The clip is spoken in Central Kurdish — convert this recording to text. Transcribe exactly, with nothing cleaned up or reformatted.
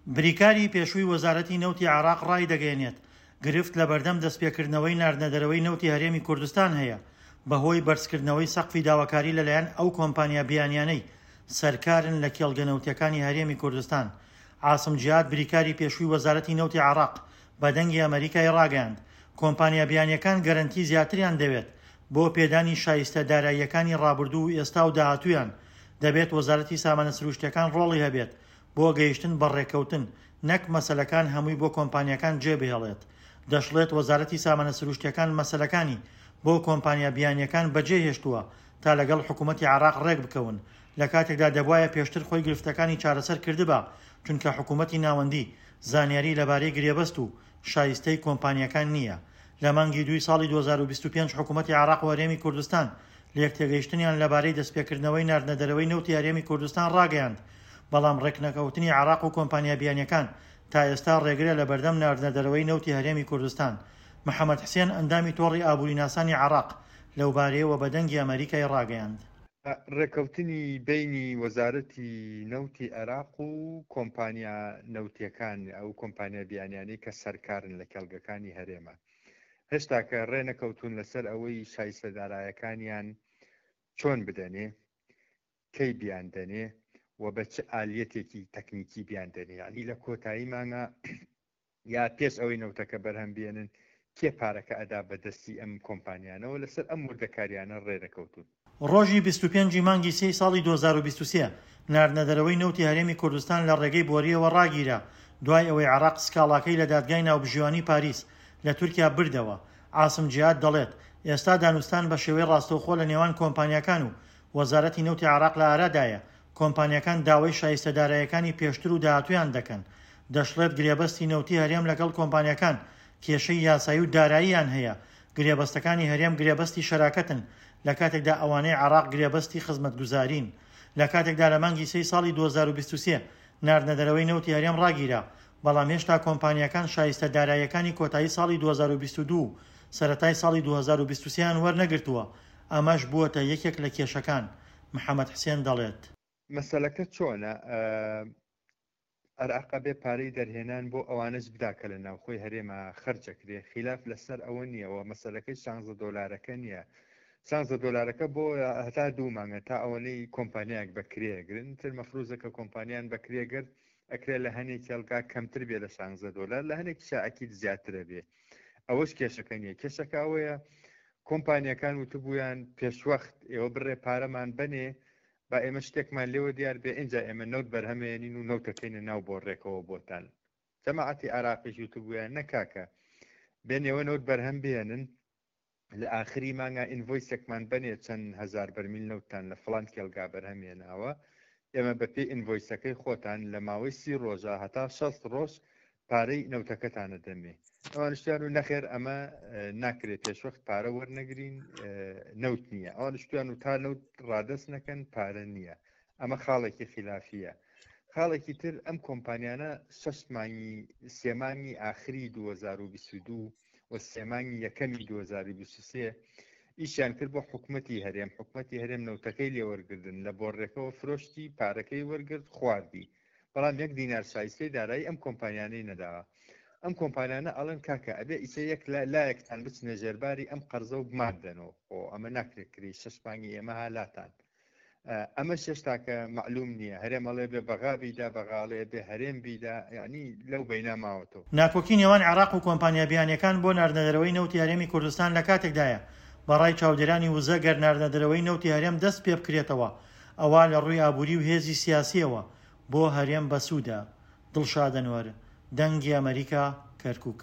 بریکاری پێشووی وەزارەتی نەوتی عێراق ڕایدەگەیەنێت، گرفت لەبەردەم دەستپێکردنەوەی ناردنەدەرەوەی نەوتی هەرێمی کوردستان هەیە بەهۆی بەرزکردنەوەی سەقفی داواکاری لەلایەن ئەو کۆمپانیا بیانیانەی سەرکارن لە کێڵگە نەوتیەکانی هەرێمی کوردستان. عاسم جیهاد بریکاری پێشووی وەزارەتی نەوتی عێراق بە دەنگی ئەمەریکای ڕاگەیاند، کۆمپانیا بیانیەکان گەرەنتی زیاتریان دەوێت بۆ پێدانی شایستە داراییەکانی ڕابردوو و ئێستا و داهاتوویان، دەبێت وەزارەتی سامانە سروشتیەکان ڕۆڵی هەبێت بۆ گەیشتن بە ڕێککەوتن نەک مەسەلەکان هەمووی بۆ کۆمپانیاکان جێبهێڵێت. دەشڵێت وەزارەتی سامانە سروشتیەکان مەسەلەکانی بۆ کۆمپانیا بیانیەکان بەجێهێشتووە تا لەگەڵ حکومەتی عێراق ڕێکبکەون، لە کاتێکدا دەبوایە پێشتر خۆی گرفتەکانی چارەسەر کردبا، چونکە حکومەتی ناوەندی زانیاری لەبارەی گرێبەست و شایستەی کۆمپانیاکان نییە. لە مانگی دووی ساڵی دوو هەزار و بیست و پێنج حکومەتی عێراق و هەرێمی کوردستان لێکتێگەیشتنیان لەبارەی دەستپێکردنەوەی ناردنەدەرەوەی نەوتی هەرێمی کوردستان ڕاگەیاند، بەڵام ڕێکنەکەوتنی عێراق و کۆمپانیا بیانیەکان تا ئێستا ڕێگرە لەبەردەم ناردنەدەرەوەی نەوتی هەرێمی کوردستان. محەمەد حسێن ئەندامی تۆڕی ئابووریناسانی عێراق لەوبارەیەوە بە دەنگی ئەمەریکای ڕاگەیاند. ڕێکەوتنی بەینی وەزارەتی نەوتی عێراق و کۆمپانیا نەوتیەکان، ئەو کۆمپانیا بیانیانەی کە سەرکارن لە کێڵگەکانی هەرێمە، هێشتا کە ڕێ نەکەوتون لەسەر ئەوەی شایستە دارایەکانیان چۆن بدەنێ، کەی بیاندەنێ و بە چ ئالیەتێکی تەکنیکی بیاندەنێ. یعنی لە کۆتایی مانگا یا پێش ئەوەی نەوتەکە بەرهەم بێنن کێ پارەکە ئەدا بەدەستی ئەم کۆمپانیانەوە، لەسەر ئەم وردەکاریانە ڕێنەکەوتون. ڕۆژی بیست و پێنج مانگی سێی ساڵی دوو هەزار و بیست و سێ ناردنەدەرەوەی نەوتی هەرێمی کوردستان لە ڕێگەی بۆریەوە ڕاگیرا دوای ئەوەی عێراق سکاڵاکەی لە دادگای ناوبژیوانی پاریس لە تورکیا بردەوە. عاسم جیهاد دەڵێت ئێستا دانوستان بە شێوەی ڕاستەوخۆ لە نێوان کۆمپانیاکان و وەزارەتی نەوتی عێراق لە ئارادایە. کۆمپانیاکان داوای شایستە دارایەکانی پێشتر و داهاتوویان دەکەن. دەشڵێت گرێبەستی نەوتی هەرێم لەگەڵ کۆمپانیاکان کێشەی یاسایی و داراییان هەیە. گرێبەستەکانی هەرێم گرێبەستی شەراکەتن لە کاتێکدا ئەوانەی عێراق گرێبەستی خزمەتگوزارین. لە کاتێکدا لە مانگی سێی ساڵی دوو هەزار و بیست و سێ ناردنەدەرەوەی نەوتی هەرێم ڕاگیرا، بەڵام هێشتا کۆمپانیاکان شایستە داراییەکانی کۆتایی ساڵی دوو هەزار و بیست و دوو و سەرەتای ساڵی دوو هەزار و بیست و سێیان وەرنەگرتووە. ئەمەش بووەتە یەکێک لە کێشەکان. محەمەد حسێن دەڵێت مەسەلەکە چۆنە؟ عێراق بێ پارەی دەرهێنان بۆ ئەوانەش بدا کە لە ناوخۆی هەرێمە خەرجەکرێ، خلاف لەسەر ئەوە نییەوە. مەسەلەکەی شانزە دۆلارەکە نییە، شانزە دۆلارەکە بۆ هەتا دوو مانگە تا ئەوەنەی کۆمپانیایەک بەکرێگرن تر مەفروزە کە کۆمپانیان بەکرێگرت ئەکرێ لە هەنێک کێڵگا کەمتر بێ لە شانزە دۆلار، لە هەنێک شاعکیت زیاترە بێ. ئەوەش کێشەکە نییە. کێشەکە ئەوەیە کۆمپانیەکان وتبوویان پێشوەخت ئێوە بڕێ پارەمان بنێ با ئێمە شتێکمان لێوە دیار بێ، ئینجا ئێمە نەوت بەرهەمێنین و نەوتەکەینە ناو بۆڕێکەوە بۆتان. جەماعەتی عێراقیش وتبوویان نەکاکە بێنێوە نەوت بەرهەم بێنن، لە ئاخری مانگا ئینڤۆیسێکمان بنێ چەند هەزار بەرمیل نەوتتان لە فڵان کێڵگا بەرهەمێناوە، ئێمە بە پێی ئینڤۆیسەکەی خۆتان لە ماوەی سی ڕۆژە هەتا شەست ڕۆژ پارەی نەوتەکەتانە دەمێ. ئەوانشتیان و نەخێر ئەمە ناکرێت پێشوەخت پارە وەرنەگرین، نەوت نییە. ئەوانشتیان و تا نەوت ڕادەست نەکەن پارە نییە. ئەمە خاڵێکی خلافیە. خاڵێکی تر ئەم کۆمپانیانە شەش مانگی سێ مانگی ئاخری دوو هەزار و بیست و دوو و سێ مانگی یەکەمی دوو هەزار و بیست و سێ ئیشیان کرد بۆ حکومەتی هەرێم. حکومەتی هەرێم نەوتەکەی لێوەرگردن، لە بۆڕێکەوە فرۆشتی، پارەکەی وەرگرت، خواردی، بەڵام یەک دینار شایستەی دارایی ئەم کۆمپانیانەی نەداوە. ئەم کۆمپانیانە ئەڵێن کاکە ئەبێ ئیسە یەک لایەکتان بچنە ژێرباری ئەم قەرزە و بماندەنەوە، خۆ ئەمە ناکرێت کری شەش مانگی ئێمە هالاتان. ئەمە شێشتاکە معلوم نییە. هەرێم ئەڵێ بێ بەغا بیدا، بەغاڵێ بێ هەرێم بیدا، یعنی لەو بەینا ماوەتەوە. ناکۆکی نێوان عێراق و کۆمپانیا بیانیەکان بۆ ناردنەدەرەوەی نەوتی هەرێمی کوردستان لە کاتێکدایە بەڕای چاودێرانی وزە گەر ناردنەدەرەوەی نەوتی هەرێم دەست پێ بکرێتەوە ئەوە لە ڕووی ئابووری و هێزی سیاسیەوە بۆ هەرێم بەسوودە. دڵشاد ئەنوەر، دەنگی ئەمەریکا، کەرکووک.